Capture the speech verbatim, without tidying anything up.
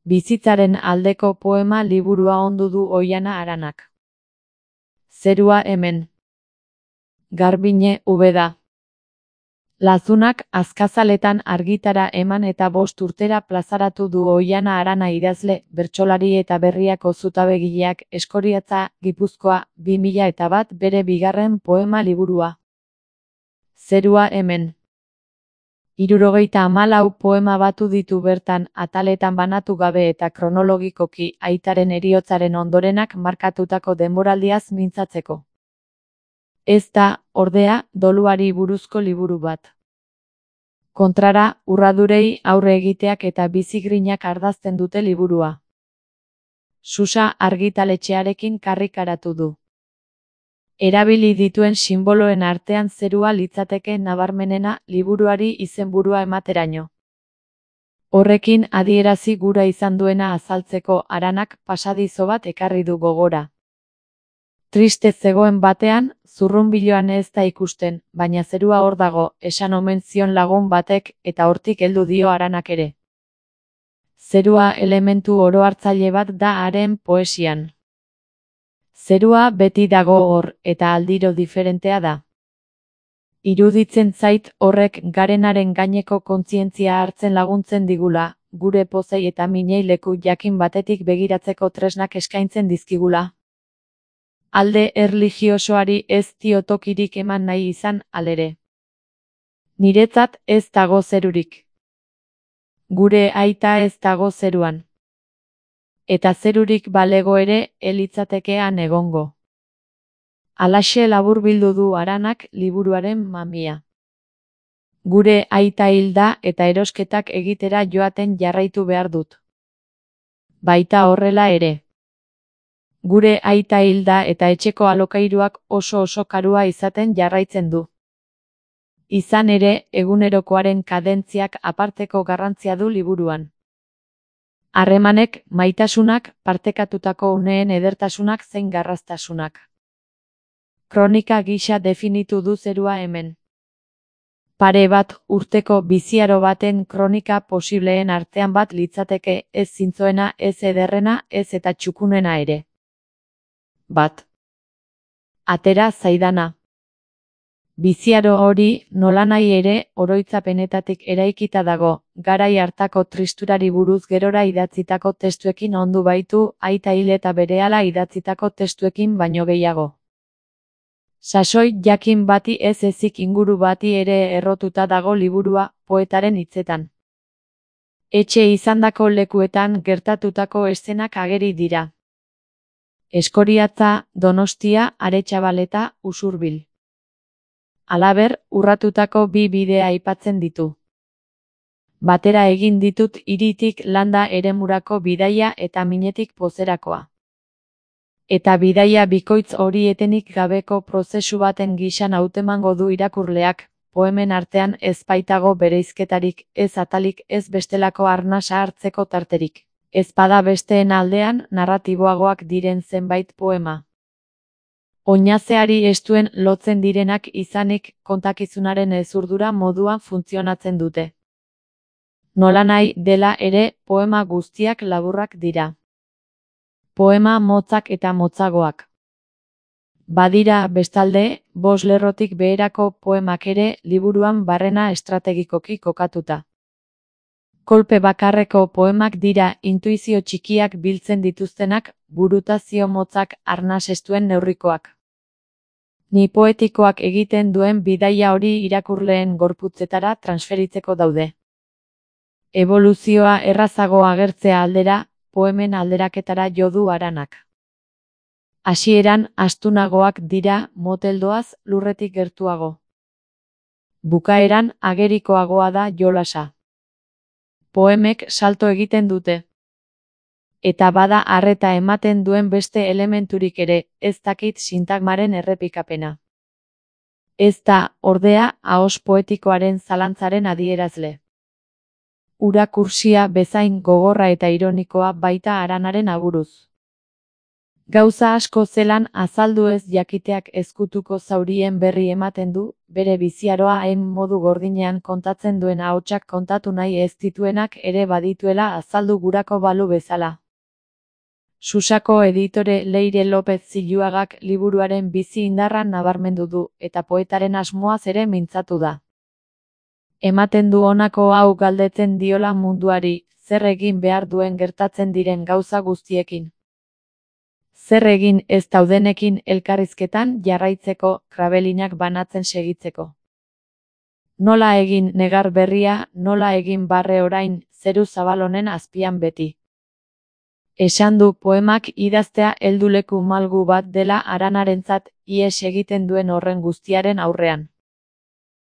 Bizitzaren aldeko poema liburua ondu du Oihana Aranak. Zerua hemen. Garbiñe Ubeda. Lazunak azkazaletan argitara eman eta bost urtera plazaratu du Oihana Arana idazle, bertsolari eta berriako zutabegileak Eskoriatza, Gipuzkoa, bi mila eta bat bere bigarren poema liburua. Zerua hemen. Hirurogeita hamalau poema batu ditu bertan, ataletan banatu gabe eta kronologikoki aitaren heriotzaren ondorenak markatutako denboraldiaz mintzatzeko. Ez da, ordea, doluari buruzko liburu bat. Kontrara, urradurei aurre egiteak eta bizigrinak ardazten dute liburua. Susa argitaletxearekin karrikaratu du. Erabili dituen sinboloen artean zerua litzateke nabarmenena liburuari izenburua emateraino. Horrekin adierazi gura izan duena azaltzeko Aranak pasadizo bat ekarri du gogora. Triste zegoen batean, zurrunbiloan ez da ikusten, baina zerua hor dago, esan omen zion lagun batek eta hortik heldu dio Aranak ere. Zerua elementu orohartzaile bat da haren poesian. Zerua beti dago hor, eta aldiro diferentea da. Iruditzen zait horrek garenaren gaineko kontzientzia hartzen laguntzen digula, gure pozei eta minei leku jakin batetik begiratzeko tresnak eskaintzen dizkigula. Alde erlijiosoari ez dio tokirik eman nahi izan, halere. Niretzat ez dago zerurik. Gure aita ez dago zeruan. Eta zerurik balego ere elitzatekean egongo. Halaxe laburbildu du Aranak liburuaren mamia. Gure aita hilda eta erosketak egitera joaten jarraitu behar dut. Baita horrela ere. Gure aita hilda eta etxeko alokairuak oso oso karua izaten jarraitzen du. Izan ere, egunerokoaren kadentziak aparteko garrantzia du liburuan. Harremanek, maitasunak, partekatutako uneen edertasunak zein garraztasunak. Kronika gisa definitu du zerua hemen. Pare bat urteko biziaro baten kronika posibleen artean bat litzateke, ez zintzoena, ez ederrena, ez eta txukunena ere. Bat. Atera zaidana. Biziaro hori, nolanahi ere, oroitzapenetatik eraikita dago, garai hartako tristurari buruz gerora idatzitako testuekin ondu baitu, aita hil eta berehala idatzitako testuekin baino gehiago. Sasoi jakin bati ez ezik inguru bati ere errotuta dago liburua, poetaren hitzetan. Etxe izandako lekuetan gertatutako eszenak ageri dira. Eskoriatza, Donostia, Aretxabaleta, Usurbil. Halaber, urratutako bi bidea aipatzen ditu. Batera egin ditut hiritik landa eremurako bidaia eta minetik pozerakoa. Eta bidaia bikoitz hori etenik gabeko prozesu baten gisan hautemango du irakurleak, poemen artean ez baitago bereizketarik, ez atalik, ez bestelako arnasa hartzeko tarterik. Ez bada besteen aldean narratiboagoak diren zenbait poema. Oinazeari estuen lotzen direnak izanik kontakizunaren ezurdura moduan funtzionatzen dute. Nolanahi dela ere, poema guztiak laburrak dira. Poema motzak eta motzagoak. Badira, bestalde, bost lerrotik beherako poemak ere liburuan barrena estrategikoki kokatuta. Kolpe bakarreko poemak dira intuizio txikiak biltzen dituztenak, burutazio motzak arnas estuen neurrikoak. Ni poetikoak egiten duen bidaia hori irakurleen gorputzetara transferitzeko daude. Eboluzioa errazago agertzea aldera, poemen alderaketara jo du Aranak. Hasieran astunagoak dira, moteldoaz lurretik gertuago. Bukaeran agerikoagoa da jolasa. Poemek salto egiten dute. Eta bada arreta ematen duen beste elementurik ere, ez dakit sintagmaren errepikapena. Ez da, ordea, ahos poetikoaren zalantzaren adierazle. Ura kursia bezain gogorra eta ironikoa baita Aranaren aburuz. Gauza asko zelan azaldu ez jakiteak ezkutuko zaurien berri ematen du, bere biziaroa hain modu gordinean kontatzen duen ahotsak kontatu nahi ez dituenak ere badituela azaldu gurako balu bezala. Susako editore Leire López Ziluagak liburuaren bizi indarra nabarmendu du, eta poetaren asmoaz ere mintzatu da. Ematen du honako hau galdetzen diola munduari, zer egin behar duen gertatzen diren gauza guztiekin. Zer egin ez daudenekin elkarrizketan jarraitzeko, krabelinak banatzen segitzeko. Nola egin negar berria, nola egin barre orain, zeru zabal honen azpian beti. Esan du poemak idaztea helduleku malgu bat dela Aranarentzat, ihes egiten duen horren guztiaren aurrean.